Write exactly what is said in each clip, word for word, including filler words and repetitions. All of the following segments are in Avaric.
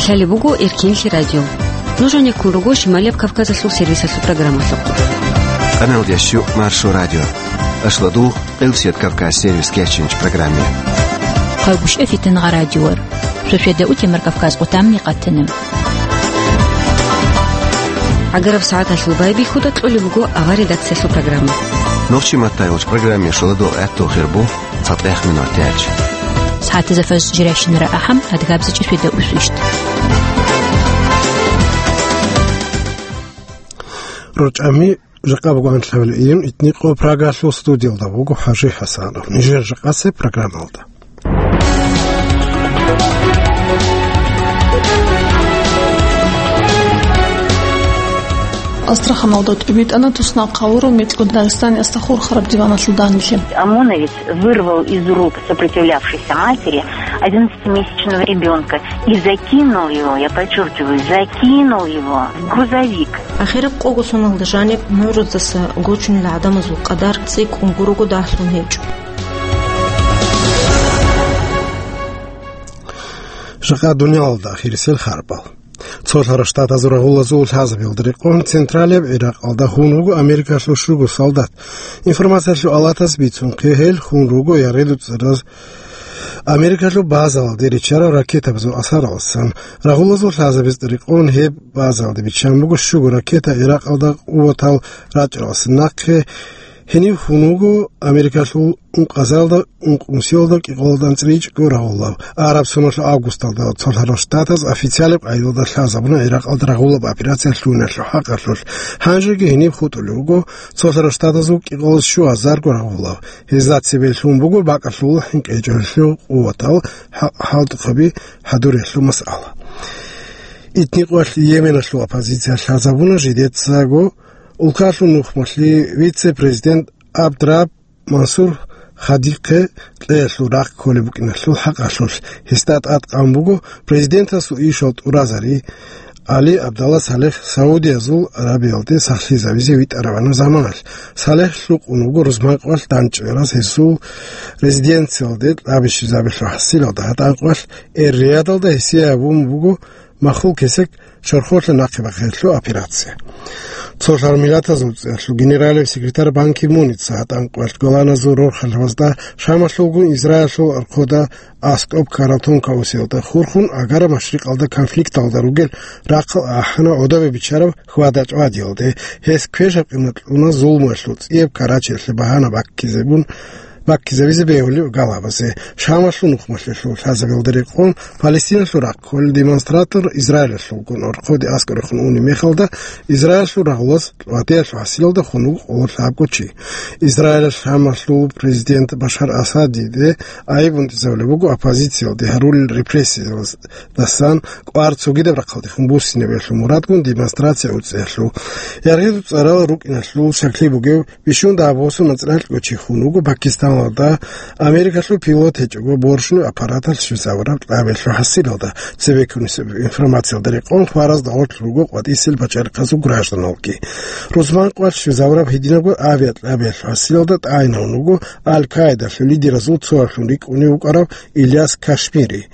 Лъалеб буго Эркинлъи радио. Нуж гьанеккун руго Шималияб Кавказалъул сервисалъул программалъухъ. Къаналдящу Маршо радио. Ашладу Къилсият Кавказ сервис кечинч программе. Хъалгушев Фитнагъа радиор. Шошеда утемар Кавказ къутамни къатана. Агараб сагӀаталъул байбихьуда кьолеб буго авар редакциялъул программа. Нохчи матаялъ программе шоладул гӀаттул хирбу. ЦатӀехъ минутач. СагӀатазда фажр жирайщинара ахӀам, адгабзичӀеб шведа усвищ. РорчӀами жакъа буго анлъабилеб июнь, итни къо Прагалъул студиялда буго ХӀажи ХӀасанов. Нижер жакъасеб программалда. Астраханалда тӀубитӀана туснахъ гьавурав мецӀго Дагъистаниялъул хурхараб диваналъул данделъи. ОМОНовец вырвал из рук сопротивлявшейся матери одиннадцатимесячного ребёнка и закинул его, я подчёркиваю, закинул его в грузовик. Ахираб къого соналда жаниб нугӀрудаса гочунел гӀадамазул къадар цӀикӀкӀун гурого дагьлъун гьечӀо. Жакъа дуниялалда ахирисел харбал. Цолъарав Штатазул рагъулазул лъазабиялда рекъон централияб Иракъалда хун вуго Америкалъул щуго солдат. Информациялъул алатаз бицунхъе, гьел хун руго яргъи дуцӀараз Америкалъул базалде риччарал ракетабазул асаралдасан. Рагъулазул лъазабиялда рекъон гьеб базалде биччан буго щуго ракета Иракъалда къуватал рачӀаралдасан нахъе. Гьенив хун вуго Америкалъул ункъазалда, ункънусиялда кӀикъоялда анцӀила ичӀго рагъулаб. Араб соналъул августалда Цолъарав Штатаз официалаб къайдалда лъазабуна Иракъалда рагъулаб операция лъугьиналъул хӀакъалъулъ. Гьанжеги гьенив хутӀулев вуго Цолъарав Штатазул кӀикъоялда щугьазарго рагъулав. Гьезда цебе лъун буго бакӀалъул хӀинкъичӀеб къуватал хӀа-, хӀалтӀухъаби хӀадуриялъул масъала. Итни къоялъ Йеменалъул оппозиция лъазабуна жидецаго. Улкалъул нухмалъи вице-президент Абдраб Мансур Хадихъе кьеялъул рахъ кколеб букӀиналъул хӀакъалъулъ гьесда тӀадкъан буго президентасул ишал тӀуразари Али Абдалла Салех Саудиязул Арабиялде сахлъизавизе витӀарабгӀанаб заманалъ. Салех лъукъун вуго рузманкъоялъ дандчӀвараз, гьесул резиденциялде кьабищизабилъул хӀасилалда. ГьатӀанкъоялъ Эр-Риядалда гьесие гьабун буго махул кесек чорхолъа нахъе бахъиялъул операция. Цолъарав Миллатазул ЦӀиялъул генералияб секретарь Бан Ки Муница гьатӀанкъоялъ голландазул рорхалъазда Шамалъулгун Израилалъул архуда аскӀоб ккарал тонкаусиялда хурхун, Агара машрикъалда конфликталда ругел рахъал ахӀана гӀодобе биччараб хьвада-чӀвадиялде. Гьес квешаб къимат кьуна зулмуялъул цӀияб карачиялъе багьана баккизабун, баккизабизе бегьулеб галабазе. Шамалъул нухмалъиялъул лъазабиялда рекъон Палестиналъул рахъ кколел демонстратор Израилалъулгун архуде аскӀорехун унеб мехалда, Израилалъул рагъулаз кьватӀиялъул хӀасилалда хун вуго къоло лъабго чи. Израилалъ Шамалъул президент Башар Асадиде айиб унтӀизабулеб буго оппозициялде гьарулел репрессиялдасан кӀвар цогидаб рахъалдехун буссинабиялъул мурадгун демонстрация уцӀиялъул. Яргъи дуцӀарал рукӀиналъул щаклъи бугев бищун дагьаб босун анцӀила кӀочи хун вуго Пакистаналда Америкалъул пилот гьечӀого борщунаб аппараталъ щвезавураб кьабиялъул хӀасилалда. Цебеккун информациялда рекъон хваразда гъорлъ руго къватӀисел пачалихъазул гражданалги. Рузманкъоялъ щвезавураб гьединабго авиакьабиялъул хӀасилалда тӀагӀинавун вуго Аль-Каидалъул лидеразул цоялъун рикӀкӀунев вукӀарав Ильяс Кашмири.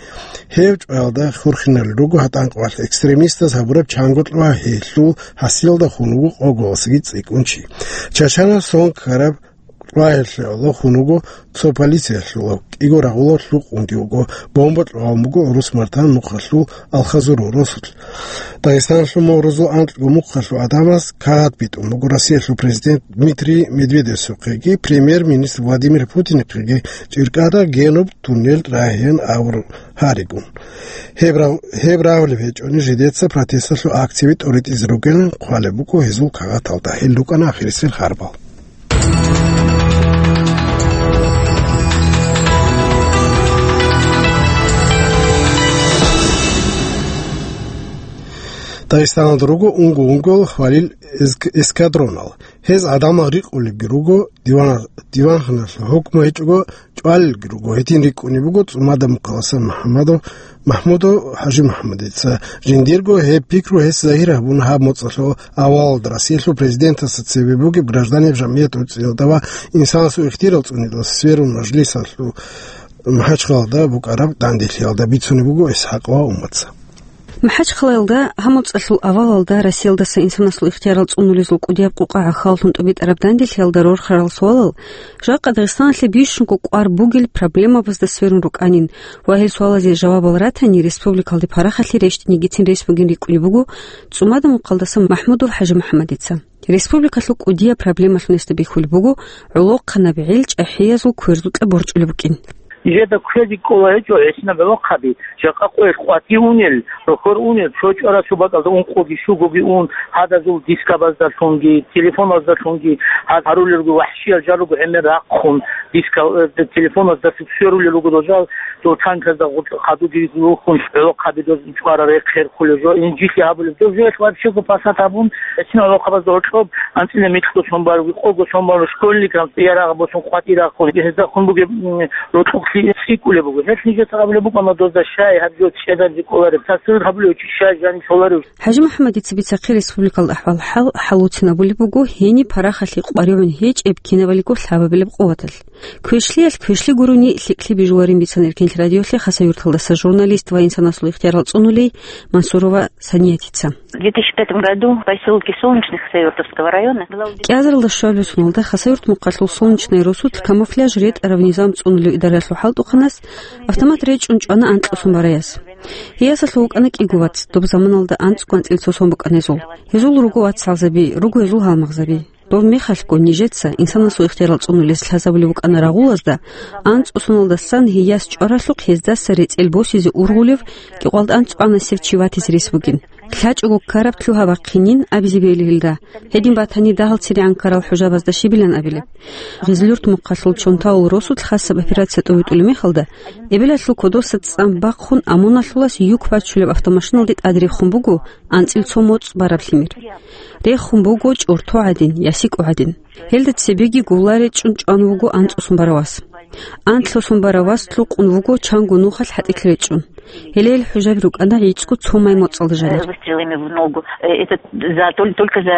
Гьев чӀваялда хурхиналел руго гьатӀанкъоялъ экстремистаз гьабураб чанго кьвагьиялъул хӀасилалда хун вуго къоголасаги цӀикӀкӀун чи. Чачанас сон ккараб кьвагьиялъе гӀоло хун вуго цо полициялъулав, кӀиго рагъулав лъукъунги вуго, бомба кьвагьун буго гӀурус Мартан нухалъул Алхазур гӀурусалъ. Дагъистаналъул мугӀрузул анкьго мухъалъул гӀадамаз кагъат битӀун буго Россиялъул президент Дмитрий Медведевасухъеги премьер-министр Владимир Путинихъеги чӀиркӀада генуб туннел рагьеян авур гьаригун. Гьеб рав-, гьеб рагьулеб гьечӀони, жидеца протесталъул акцияби тӀоритӀизе ругилан хъвалеб буго гьезул кагъаталда. Гьел рукӀана ахирисел харбал. Дагъистаналда руго унго-унгоял хвалил эск-, эскадронал. Гьез гӀадамал рикъулебги руго, диван-, диванханалъул хӀукму гьечӀого чӀвалелги руго. Гьедин рикӀкӀунеб буго ЦӀумада Мухъаласан МухӀаммадов, МахӀмудов ХӀажимухӀаммадица. Жиндирго гьеб пикру гьес загьир гьабуна гьаб моцӀалъул авалалда Россиялъул президентасда цебе бугеб гражданиял жамгӀият уцӀиялда ва инсанасул ихтияр цӀуниялда сверун мажлисалъул МахӀачхъалада букӀараб данделъиялда бицунеб буго ИсхӀакъ ва Умматица. МахӀачхъалаялда гьаб моцӀалъул авалалда Россиялдаса инсанасул ихтиярал цӀунулезул кӀудияб къукъа гӀахьаллъун тӀубитӀараб данделъиялда рорхарал суалал жакъа Дагъистаналъе бищунго кӀвар бугел проблемабазда сверун рукӀанин ва гьел суалазе жавабал ратани, республикалде парахалъи рещтӀинигицин рес бугин рикӀкӀунеб буго ЦӀумада-Мухъалдаса МахӀмудов ХӀажимухӀаммадица. Республикалъул кӀудияб проблемалъун гьесда бихьулеб буго гӀолохъанаб гӀел чӀахӀиязул кверзукьа борчӀулеб букӀин. Нижеда кквезе кӀола гьечӀо гӀисинаб гӀолохъаби, жакъа къоялъ къватӀи унел, рохьор унел, цо чӀваралъул бакӀалда ункъоги щугоги ун, гьадазул дискабаздалъунги, телефоназдалъунги, гьаз гьарулел руго вахӀщиял жал руго гӀемер рахъун, диска-, э, телефоназдалъун сверулел руго дол жал, дол танказда гъутӀ хадуги рухун, гӀолохъаби доз чӀвара рехъ хӀерхулел жо, инжитлъи гьабулеб. Дов жоялъ вообще-го пасат гьабун, гӀисин гӀолохъабазда гьоркьоб анцӀила микьго сон баруги, къого сон бару, школьникал цӀиярагъ босун къватӀирахъун, гьезда хун бугеб, м, рокьукълъи цӀикӀкӀулеб буго. Гьелъ нижеца абулеб букӀана дозда щай гьаб жо чӀезаризе кӀолареб, цасрил гьабулев чи щай жаниб щоларев. ХӀажимухӀаммадица бицахъе республикалда ахӀвал-хӀал хӀалуцин абулеб буго гьениб парахалъи къваригӀун гьечӀеб кинабалиго лъабабилеб къуваталъ. Квешлъиялъ квешлъи гурони лъикӀлъи бижуларин бицана Эркенлъи радиолъе Хасавюрталдаса журналист ва инсанасул ихтиярал цӀунулей Мансурова Саниятица. В две тысячи пятом году в поселке Солнечный Хасавюртовского района была у- КӀиазаралда щуабилеб соналда Хасавюрт мухъалъул Солнечный росулъ камуфляж ретӀараб низам цӀунулев идаралъул хӀалтӀухъанас автомат речӀчӀун чӀвана анкьго сон бараяс. Гьей ясалъув вукӀана кӀиго вац, доб заманалда анцӀго анцӀила цо сон букӀана гьезул. Гьезул руго вацгӀалзаби, руго гьезул гьалмагъзаби. Дов мехалъго нижеца инсанасул ихтиярал цӀунулес лъазабулеб букӀана рагъулазда, анцӀго соналдасан гьей яс чӀваралъухъ гьездаса рецӀел босизе ургъулев кӀикъоялда анцӀго анасев чи ватизе рес бугин. ЛъачӀого ккараб лъугьа бахъинин абизе бегьилин гьелда. Гьедин батани, дагьал церегӀан ккарал хӀужабазда щибилан абилеб. Гъизлюрт мухъалъул Чонтаул росулъ хасаб операция тӀобитӀулеб мехалда, эбелалъул кодоса цӀан бахъун ОМОНалъулас юк бачулеб автомашиналде тӀаде рехун буго анцӀил цо моцӀ бараб лъимер. Рехун буго чӀорто гӀадин, ясикӀо гӀадин. Гьелда цебеги гулла речӀчӀун чӀван вуго анцӀго сон барав вас. Анлъго сон барав вас лъукъун вуго чанго нухалъ хӀатӀилъ речӀчӀун. Гьеле гьел хӀужаби рукӀана гӀицӀго цо май моцӀалда жанир. Выстрелами в ногу. Э, это за, тол-, только за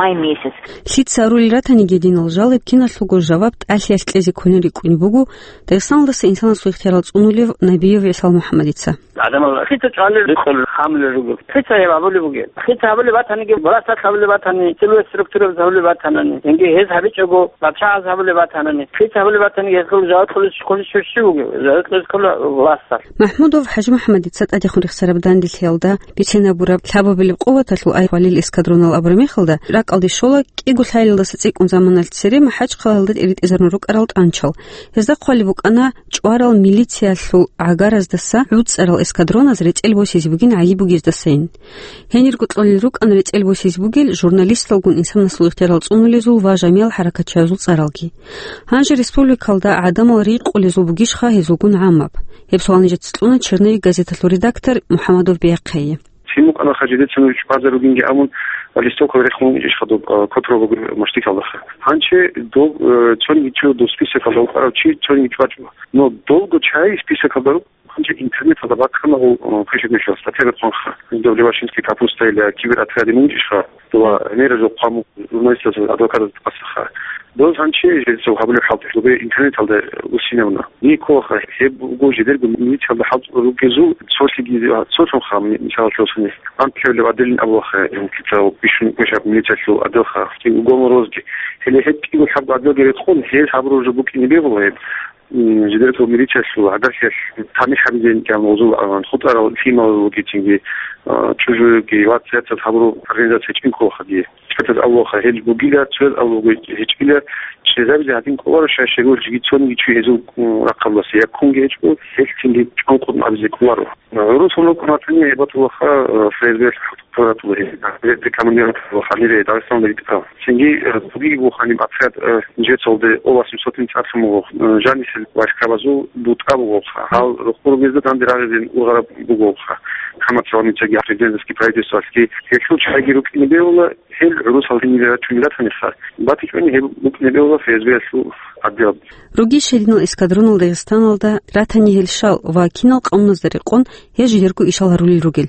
май месяц. Лъица арулел ратаниги, гьединал жалеб киналъулго жаваб тӀалъиялъ кьезе кколин рикӀкӀунеб буго Дагъистаналдаса инсанасул ихтиярал цӀунулев Набиев ГӀисал МухӀаммадица. Адамал хица чӀвалел рикъун хамулел руго. Хица гьеб гьабулеб бугеб? Хица гьабулеб батаниги, власталъ гьабулеб батани, силовой структурабаз гьабулеб батанани, цинги гьез гьабичӀого, пачагӀаз гьабулеб батанани, хица гьабулеб батаниги, гьезул жаваб кьолес, кьолес щив бугев? Жаваб кьолес ккола власталъ. МахӀмудов ХӀажимухӀаммадица тӀадехун рехсараб данделъиялда бицен гьабураб лъабабилеб къуваталъул ай хвалил эскадронал абураб мехалда, ракӀалде щола кӀиго лъалалдаса цӀикӀкӀун заманалъ цере МахӀачхъалаялда тӀиритӀизарун рукӀарал тӀанчал. Гьезда хъвалеб букӀана чӀварал милициялъул гӀагараздаса гӀуцӀарал эскадроназ рецӀел босизе бугин гӀайиб бугездасайин. Гьенирго кьолел рукӀана рецӀел босизе бугел журналисталгун инсанасул ихтиярал цӀунулезул ва жамиял хӀаракатчиязул цӀаралги. Гьанже республикалда гӀадамал рикъулезул бугищха гьезулгун гӀамаб? Гьеб суал нижеца кьуна «Черновик» газеталъул редактор МухӀаммадов Бяхъайи. Цин букӀана хъа жидеца нуж чӀвазе ругинги абун, ва листовка рехун иш хадуб, а, котро бугеб маштикалдаха. Гьанчи доб, э, цониги чу доб списокалда вукӀарав чи цониги чӀвачӀо. Но долго чай списокалда рукӀ, гьанчи интернеталда бахъана гьул, э, пишет мешал статья бетхъунха. Доб Левашинский капуста или киберотряде мунчӀишха, дова меразул хъваму журналистазул адвокатаз тӀасаха. Доз гьанчи жидецав гьабулеб хӀалтӀи лугей интернеталда усинавна. Николаха, гьеб буго жидерго милициялда хӀалтӀулел ругезул цолъиги, цолъунха, мисалалъе, анкьавлеб адилин абулаха, кицав бищун квешаб милициялъул адилха, кӀиго гоморозги. Гьеле гьеб кӀиго лъабго адилги рекъон, гьел гьабураб жо букӀине бегьула гьеб, м, жидерго милициялъул гӀагарлъиялъ тамихӀ гьабизен кӀан гъозул, а, хутӀарал лъимал ругецинги, а, чӀужуги, вацӀцӀадаз гьабураб организация чӀинколаха дие. ЧӀватаз авлаха гьел бугила, цояз авлуго гьечӀила, чӀезабизе гьадин кӀоларо, щай щегор жиги цониги чуй гьезул, м, рахъалдаса я ккунги гьечӀо, гьелъинги чӀванкъун абизе кӀоларо. ГӀурусун рукӀун ратани гьебатулаха, э, ФСБ-лъ хутӀ-, хутӀ-, хутӀ-, рекомендировать гьанибе Дагъистаналда ритӀа. Цинги, э, бугиги буго гьаниб отряд, э, жецалде о восемьсот цӀар лъун буго, э, жанисел войскабазул бутӀа бугоха. Гьал рухъ буругезда данде рагъизин ургъараб бугоха. ХӀамат цаланичаги президентский правительствоалъги гьелъул чагӀиги рукӀине бегьула, гьел гӀурусал гьенибе рачунел ратаниха, батичӀони гьеб букӀине бегьула ФСБ-ялъул отдел. Ругищ гьединал эскадронал Дагъистаналда ратани гьел щал ва кинал къануназда рекъон гьез жидерго ишал гьарулел ругел.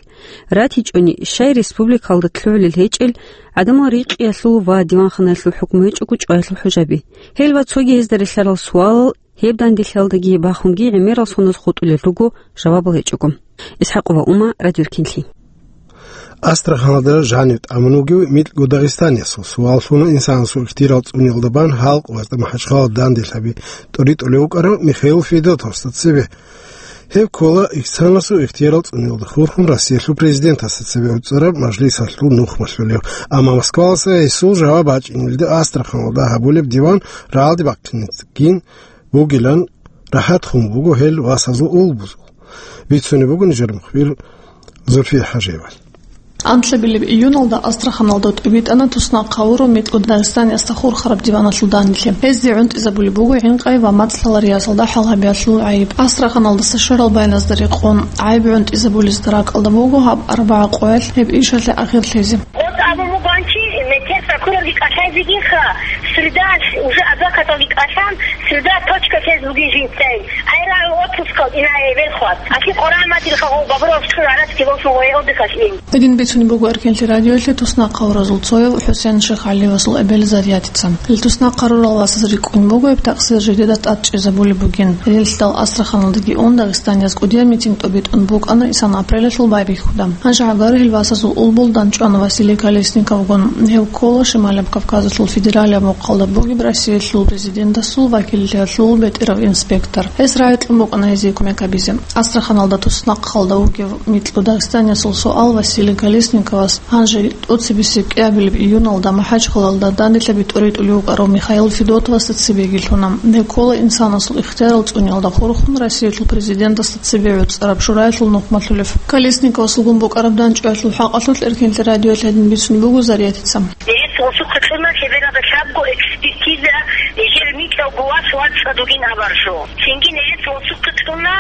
РатичӀони, щай республикалда лъугӀулел гьечӀел, гӀадамал рикъиялъул ва диванханаялъул хӀукму гьечӀого чӀваялъул хӀужаби. Гьел ва цоги гьезда релълъарал суалал Гьеб данделъиялдаги бахунги гӀемерал соназ хутӀулел руго, жавабал гьечӀого. ИсхӀакъова Ума, Радио Ркинлъи. Астраханалда жанив тӀамун вугев микьго дагъистаниясул, суал лъуна инсанасул ихтияр цӀуниялда бан халкъ ва МахӀачхъала данделъаби тӀоритӀулев вукӀарав Михаил Федотовасда цебе. Гьев ккола инсанасул ихтияр цӀуниялда хурхун Россиялъул президентасда цебе гӀуцӀараб мажлисалъул нухмалъулев. Амма Москваласа гьесул жаваб бачӀинелде Астраханалда гьабулеб диван рагӀалде бахъинецин бугилан рахӀат хун буго гьел васазул улбузул. Бицунеб буго нижер мухбир Зульфия ХӀажиевал. Анлъабилеб июналда Астраханалда тӀубитӀана туснахъ гьавурав микьго дагъистаниясда хурхараб диваналъул данделъи. Гьезде гӀунтӀизабулеб буго гӀинкъай ва мацӀ лъалариясалда хӀалгьабиялъул гӀайиб. Астраханалдаса шарал байназдере къон гӀайиб гӀунтӀизабулезда ракӀалда буго гьаб арбагӀа къоялъ гьеб ишалъе ахирлъизе. Вот абун бугончи, метер прокурорги кӀалъайзегиха, среда уже адвокаталги кӀалъан, среда точка тез бугин жинцай. Ай рагӀу отпускал инае велхват. Аки къоран матил хагъо бабурал чур арас киволсун гъое отдыхалъ ин. Гьедин бицунеб буго Эркенлъи радиоялъе туснахъ гьавуразул цояв ХӀусен Шихалиевасул эбел Зариятица. Гьел туснахъ гьарурал васаз рикӀкӀун буго гьеб такъсир жидеда тӀад чӀезабулеб бугин. Гьелелъидал Астраханалдаги ун Дагъистанияз кӀудияб митинг тӀобитӀун букӀана исан апрелалъул байбихьуда. Гьанже гӀагар гьел васазул улбул данчӀвана Василий Колесниковгун. Гьев ккола Шималаб Кавказалъул федералияб мухъалда бугеб Россиялъул президентасул вакиллъиялъул бетӀерав инспектор. Гьес рагӀи кьун букӀана гьезие кумек гьабизе. Астраханалда туснахъалда вугев микьго дагъистаниясул суал Василий Колесниковас гьанже тӀоцебесеб кӀиабилеб июналда МахӀачхъалалда данделъаби тӀоритӀулев вукӀарав Михаил Федотовасда цебеги лъуна. Гьев ккола инсанасул ихтиярал цӀуниялда хурхун Россиялъул президентасда цебе гӀуцӀараб шураялъул нухмалъулев. Колесниковасулгун букӀараб данчӀваялъул хӀакъалъулъ Эркенлъи радиоялъ гьедин бицунеб буго Зариятица. Гьес гъосухъе кьуна лъебералда лъабго экспертиза, нижер микьав гувас вацӀцӀад вугин абаржо. Цинги нижер гъосухъе кьуна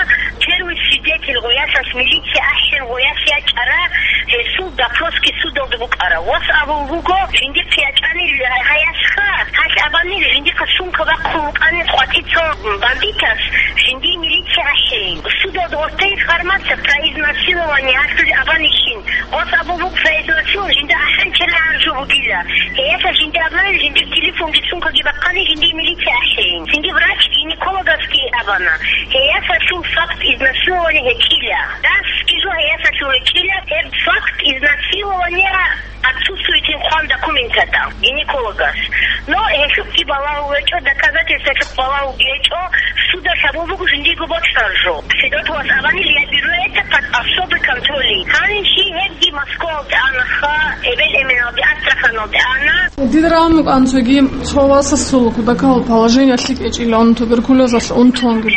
первый свидетель гъоясас, милиция ахӀен гъояс ячӀара, гьесул допросги судалда букӀара. Вас абун буго, жиндихъ ячӀани гьаясха, гьалъ абани жиндихъа сумка бахъун вукӀани къватӀица бандитас, жинди милиция ахӀейин. Судалда гъортей информация про изнасилование гьалъулеб абанищин. Вас абун буго, произносил жинда ахӀанчила гьаржу бугила. Гьеяса жинда абунани жиндир телефонги сумкаги бахъани жинди милиция ахӀейин. Цинги врач-гинекологасги абана. Гьеясалъул факт изнасилования гьечӀила. Дасги жо гьеясалъул гьечӀила, гьеб факт изнасилования отсутствует хъван документада гинекологас. Но гьелъухъги балагьул гьечӀо, доказательствалъухъ балагьулги гьечӀо, судалъ абун буго жиндиего бокьараб жо. Федотовас абани, лъабируе это под особый контроль. Гьанже гьебги Москвалде анаха, эбел-эменалде Астраханалде ана. Дида рагӀун букӀана цоги цо васасул кудакал положение лъикӀ гьечӀилан туберкулезалъ унтунги.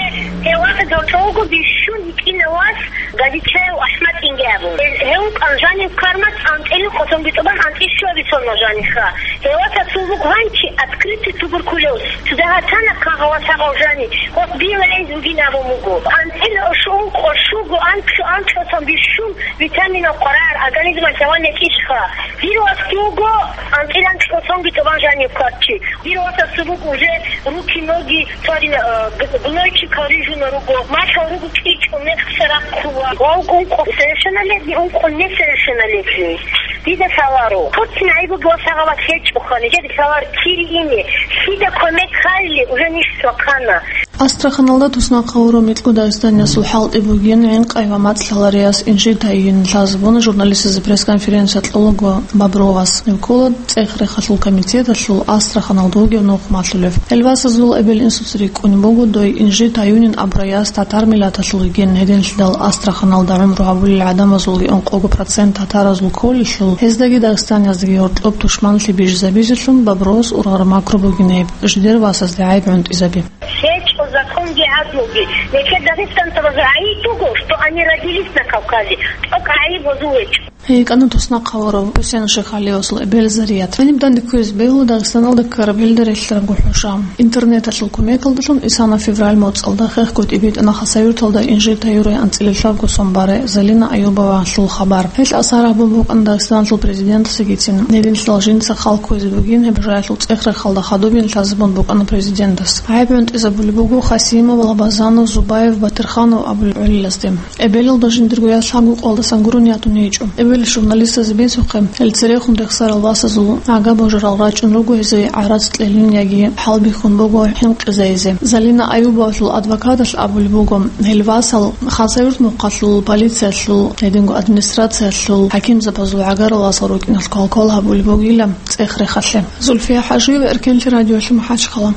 Гьев васас гьоркьовго бищун гьитӀинав вас Газичаев АхӀмад инги абун. Гьев вукӀана жанив ккарман анцӀила къосонги тӀубан анцӀила щуабилеб сонал жаниха. Гьев васасул вуго гьанчи открытый туберкулез. Цо дагьа тана хъагъа васагъав жани, гъос била гӀез вугин абун буго. АнцӀила щуго, анцӀ-, анцӀила сон бищун витаминал къварагӀар организмалъ гьаван гьечӀищха. Дир васги вуго анцӀила анцӀила сонги тӀубан жанив ккарчи. Дир васасул буго уже руки, ноги, цо гьадин, э, г-, гнойчикал рижуна руго, малъал руго кӀичӀун, мекъса рахъула. Ва ункъо совершеннолетний, ункъо несовершеннолетний. Дида лъаларо. Хъуцин гӀайиб буго васагъават гьечӀоха, нижеда лъалар кири ине. Лъида кумек хъайли, уже ниж цохъана. Астраханалда туснахъ гьавурав микьго дагъистаниясул хӀалтӀи бугин гӀинкъай ва мацӀ лъаларияс инжир тайюнин лъазабуна журналистазе пресс-конференция кьолаго Бобровас. Гьев ккола ЦӀех-рехалъул комитеталъул Астраханалда вугев нухмалъулев. Гьел васазул эбел-инсуца рикӀкӀунеб буго дой инжир тайюнин абурай яс татар миллаталъул йигин. Гьединлъидал Астраханалда гӀумру гьабулел гӀадамазулги ункъого процент татаразул кколелъул, гьездаги Дагъистанияздаги гьоркьоб тушманлъи бижизабизелъун Бобровас ургъараб макру бугин гьеб, жидер васазде гӀайиб гӀунтӀизаби. ГьечӀо законги гӀадлуги. Нилъер дагъистанцабазул гӀайиб буго, что они родились на Кавказе. ТӀокӀ гӀайиб гьезул гьечӀо. ГьикӀана туснахъ гьавурав ХӀусен Шихалиевасул эбел Зарият. Гьаниб данде кквезе бегьула Дагъистаналда ккараб гьелда релълъараб гурхӀел. Интернеталъул кумекалдалъун исана февраль моцӀалда хехго тӀибитӀана Хасавюрталда инжир тайюрай анцӀила лъабго сон барай Залина Аюбовалъул хабар. Гьелъ асар гьабун букӀана Дагъистаналъул президентасагицин, гьединлъидал жинца хал кквезе бугин гьеб жоялъул цӀех-рехалда хадубин лъазабун букӀана президентас. ГӀайиб гӀунтӀизабулеб буго Хасимов, Лабазанов, Зубаев, Батирханов абулел гӀолилазде. Эбелалда жиндирго яс лъабго къоялдасан гурони ятун гьечӀо. Журналистазе бицухъе, гьел церехун рехсарал васазул гӀага божарал рачӀун руго гьезие гӀарац кьелин яги хӀалбихьун буго хӀинкъизайизе. Залина Аюбовалъул адвокаталъ абулеб буго, гьел васал Хасавюрт мухъалъул полициялъул, гьединго администрациялъул хӀакимзабазул гӀагарал васал рукӀиналъ квалквал гьабулеб бугила цӀех-рехалъе. Зульфия ХӀажиева, Эркенлъи радиолъи, МахӀачхъала.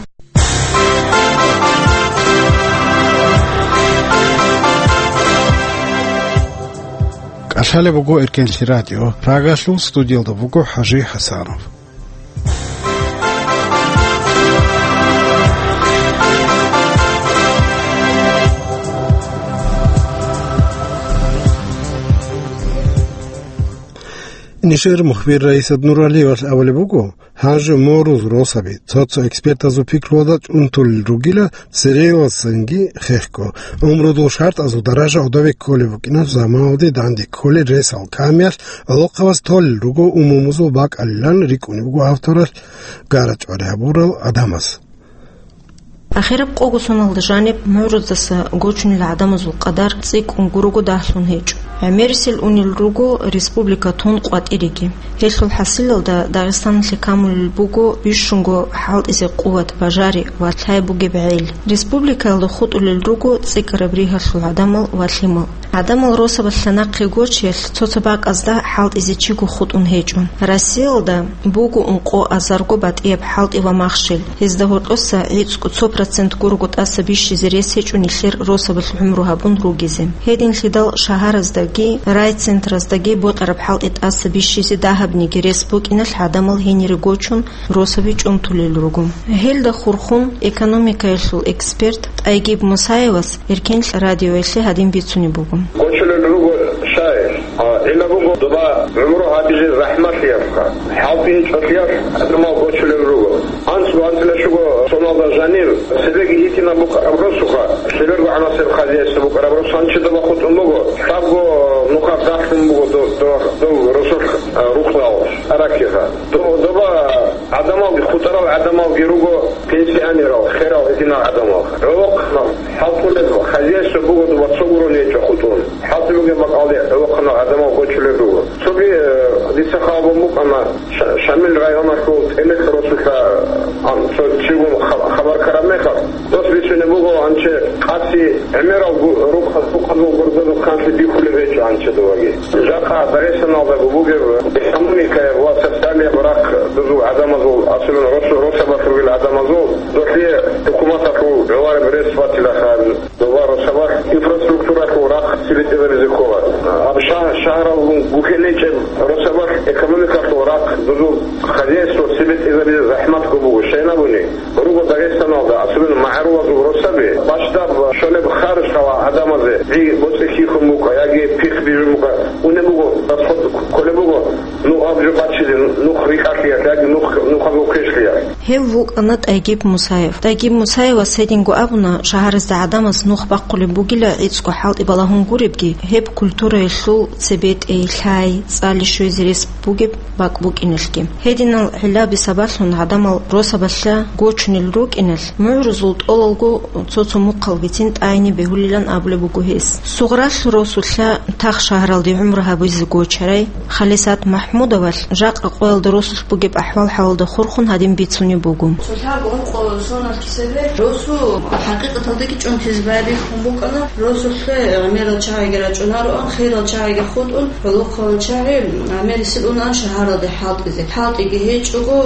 КӀалъалеб буго Эркенлъи радио, Прагалъул студиялда буго ХӀажи ХӀасанов. Нижер мухбир Раисат Нуралиевалъ абулеб буго, гьанже мугӀрузул росаби, цо-цо экспертазул пикруялда, чӀунтулел ругила церейиласанги хехго. ГӀумрудул шартӀазул даража гӀодове кколеб букӀиналъ заманалде данде кколел ресал камиялъ гӀолохъабаз толел руго умумузул бакӀалилан рикӀкӀунеб буго авторалъ гарачӀвари гьабурал гӀадамаз. Ахираб къого соналда жаниб мугӀрудаса гочунел гӀадамазул къадар цӀикӀкӀун гурого дагьлъун гьечӀо. ГӀемерисел унел руго республика тун къватӀиреги. Гьелъул хӀасилалда Дагъистаналъе камулел буго бищунго хӀалтӀизе къуват, бажари ва лъай бугеб гӀел. Республикаялда хутӀулел руго цӀикӀкӀараб ригьалъул гӀадамал ва лъимал. ГӀадамал росабалъа нахъе гочиялъ цо-цо бакӀазда хӀалтӀизе чиго хутӀун гьечӀо. Россиялда буго ункъо азарго батӀияб хӀалтӀи ва махщел. Гьезда гьоркьоса гӀицӀго цо процент гурого тӀаса бищизе рес гьечӀо нилъер росабалъ гӀумру гьабун ругезе. Гьединлъидал шагьараздаги райцентраздаги бокьараб хӀалтӀи тӀаса бищизе дагьабниги рес букӀиналъ гӀадамал гьенире гочун росаби чӀунтулел руго. Гьелда хурхун экономикаялъул эксперт ТӀайгиб Мусаевас Эркенлъ радиоялъе гьадин бицунеб буго. Гочулел руго шагьир. А, гӀилла буго доба гӀумру гьабизе захӀматлъиялъха, хӀалтӀи гьечӀолъиялъ гӀадамал гочулел руго. АнцӀго-анцӀила щуго соналда жанир цебеги гьитӀинаб букӀараб росуха, лъеберго гӀанасеб хозяйство букӀараб рос гьанчи доба хутӀун буго, лъабго нухалъ дагьлъун буго до-, до-, дов росулъ, а, рукъалъ, аракиха. До-, доба гӀадамалги, хутӀарал гӀадамалги руго пенсионерал, херал гьединал гӀадамал. ГӀолохъанал хӀалтӀулел хозяйство буго доба цо гурони гьечӀо хутӀун. ХӀалтӀи бугеб бакӀалде гӀолохъанал гӀадамал гочулел руго. Цоги, э, дица хабар букӀана Ша-, Шамил районалъул ТӀенекь росулъа, ан, цо чигун ха-, хабар ккараб мехалъ, дос бицунеб буго, анче къаси гӀемерал гу-, рукъ-, рукъазул гурдазул хъанлъи бихьулеб гьечӀо анчедуваги. Жакъа Дагъистаналда бугеб экономикаяб ва социалияб рахъ дозул гӀадамазул, особенно рос-, росабалъ ругел гӀадамазул, долъие хӀукуматалъул гӀолареб рес батилаха. Доба росабалъ инфраструктуралъул рахъ цебетӀезабизе ккола. Аб шагь-, шагьаралгун гуккинчӀеб росабалъ экономикалъул рахъ дозул хозяйство цебетӀезабизе захӀматго буго. Щайин абуни, руго Дагъистаналда, особенно магӀарулазул росаби, бащдаб щолеб харжалъ гӀадамазе гӀи боцӀи хьихьун букӀа яги пихъ бижун букӀа, унеб буго, расход кколеб буго, ну, аб жо бачизе, нух рикӀкӀалъиялъ яги нух, нухазул квешлъиялъ. Гьев вукӀана ТӀайгиб Мусаев. ТӀайгиб Мусаевас гьединго абуна, шагьаризда гӀадамаз нух бахъулеб бугила гӀицӀго хӀалтӀи балагьун гуребги, гьеб культураялъул цебетӀей, лъай, цӀали щвезе рес бугеб бакӀ букӀиналъги. Гьединал гӀиллаби сабаблъун гӀадамал росабалъа гочунел рукӀиналъ, мугӀрузул тӀолалго цо-цо мухъалгицин тӀайни бегьулилан абулеб буго гьес. Сугъралъ росулъа тах шагьаралде гӀумру гьабизе гочарай Халисат МахӀмудовалъ жакъа къоялда росулъ бугеб ахӀвал-хӀалалда хурхун гьадин бицунеб буго. Цо лъабго ункъо соналъ кисебе росу хӀакъикъаталдаги чӀунтизе байбихьун букӀана, росулъе гӀемерал чагӀиги рачӀунароан, хирал чагӀиги хутӀун, гӀолохъанал чагӀи гӀемерисел унаан шагьаралде хӀалтӀизе. ХӀалтӀиги гьечӀого,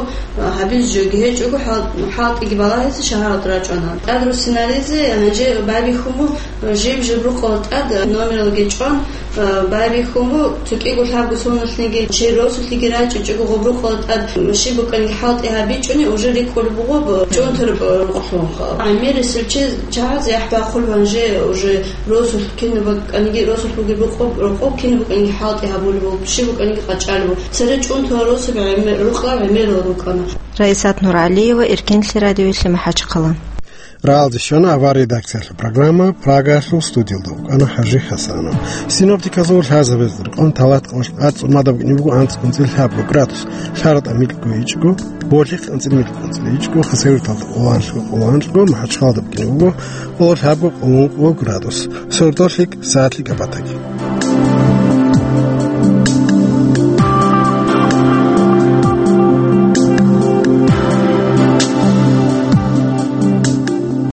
гьабиз жоги гьечӀого, хӀал-, хӀалтӀиги балагьизе шагьаралде рачӀунаан. ТӀад руссинаризе гьанже байбихьун бу-, Жив-жив рукъалда тӀад номералги чӀван, а, байбихьун бу, цо кӀиго лъабго соналъниги, чи росулъиги рачӀичӀого гъоб рукъалда тӀад щиб букӀаниги хӀалтӀи гьабичӀони, уже рикӀкӀулеб буго б-, чӀунтараб рукъалъунха. ГӀемерисел чи чагӀаз яхӀ бахъулеб гьанже уже росулъ кинаб букӀаниги, росулъ бугеб рукъоб, рукъоб кинаб букӀаниги хӀалтӀи гьабулеб буго, щиб букӀаниги къачӀалеб буго. Цере чӀунтарал росаби гӀемер-, рукъа гӀемерал рукӀана. Раисат Нуралиева, Эркенлъи радиоялъе, МахӀачхъала. Рагьалде щвана авар редакциялъул программа, Прагалъул студиялда вукӀана ХӀажи ХӀасанов. Синоптиказул лъазабазда рекъон талат къоялъ къацӀцӀун мадаб букӀине буго анцӀ кӀунцӀил лъабго градус, лъаратӀа микьго ичӀго, болъихъ анцӀил микьго кӀунцӀил ичӀго, Хасавюрталда къоло анлъго, къоло анлъго, МахӀачхъалада букӀине буго къоло лъабго, къоло ункъго градус. Сордолъи сагӀатлъи кӀапӀатаги.